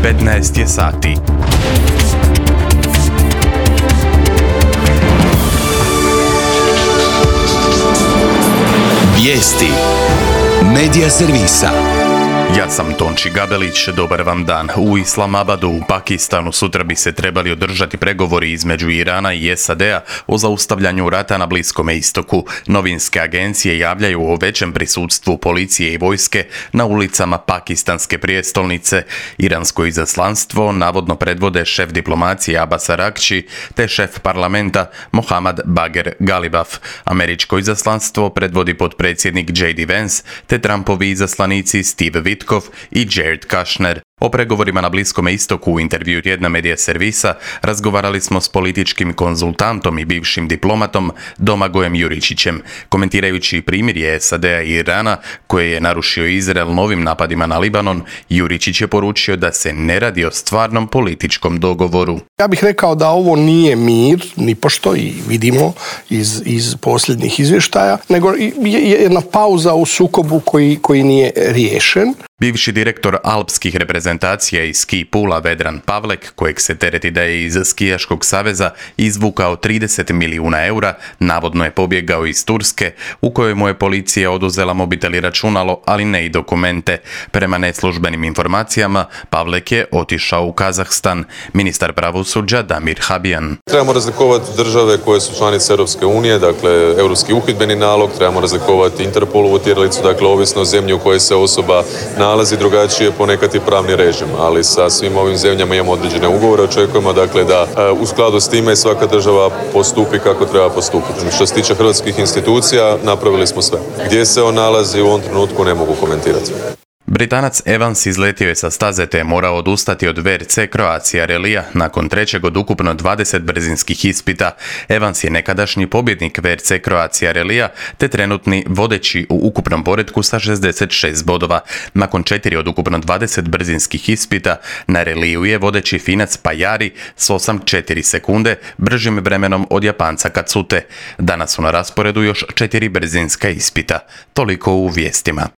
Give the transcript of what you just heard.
15 je sati. Vijesti Medija servisa. Ja sam Tonči Gabelić, dobar vam dan. U Islamabadu u Pakistanu sutra bi se trebali održati pregovori između Irana i SAD-a o zaustavljanju rata na Bliskome istoku. Novinske agencije javljaju o većem prisutstvu policije i vojske na ulicama pakistanske prijestolnice. Iransko izaslanstvo navodno predvode šef diplomacije Abbas Araghchi te šef parlamenta Mohammad Bagher Ghalibaf. Američko izaslanstvo predvodi potpredsjednik J.D. Vance te Trumpovi izaslanici Steve Witkoff i Jared Kushner. O pregovorima na Bliskom istoku u intervju tjedna Medija servisa razgovarali smo s političkim konzultantom i bivšim diplomatom Domagojem Juričićem. Komentirajući primirje SAD-a i Irana koje je narušio Izrael novim napadima na Libanon, Juričić je poručio da se ne radi o stvarnom političkom dogovoru. Ja bih rekao da ovo nije mir, nipošto, i vidimo iz posljednjih izvještaja, nego jedna pauza u sukobu koji nije riješen. Bivši direktor alpskih reprezentacija iz ski pula Vedran Pavlek, kojeg se tereti da je iz skijaškog saveza izvukao 30 milijuna eura, navodno je pobjegao iz Turske, u kojoj mu je policija oduzela mobitel i računalo, ali ne i dokumente. Prema neslužbenim informacijama, Pavlek je otišao u Kazahstan. Ministar pravosuđa Damir Habjan. Trebamo razlikovati države koje su članice Europske unije, dakle Europski uhidbeni nalog, trebamo razlikovati Interpolovu tjeralicu, dakle ovisno o zemlji u kojoj se osoba nalazi, drugačije ponekad i pravni režim, ali sa svim ovim zemljama imamo određene ugovore, očekujemo dakle da u skladu s time svaka država postupi kako treba postupiti. Što se tiče hrvatskih institucija, napravili smo sve. Gdje se on nalazi u ovom trenutku ne mogu komentirati. Britanac Evans izletio je sa staze te je morao odustati od VRC Croatia Rallyja nakon trećeg od ukupno 20 brzinskih ispita. Evans je nekadašnji pobjednik VRC Croatia Rallyja te trenutni vodeći u ukupnom poretku sa 66 bodova. Nakon 4 od ukupno 20 brzinskih ispita na reliju je vodeći Finac Pajari s 8,4 sekunde bržim vremenom od Japanca Katsute. Danas su na rasporedu još 4 brzinska ispita. Toliko u vijestima.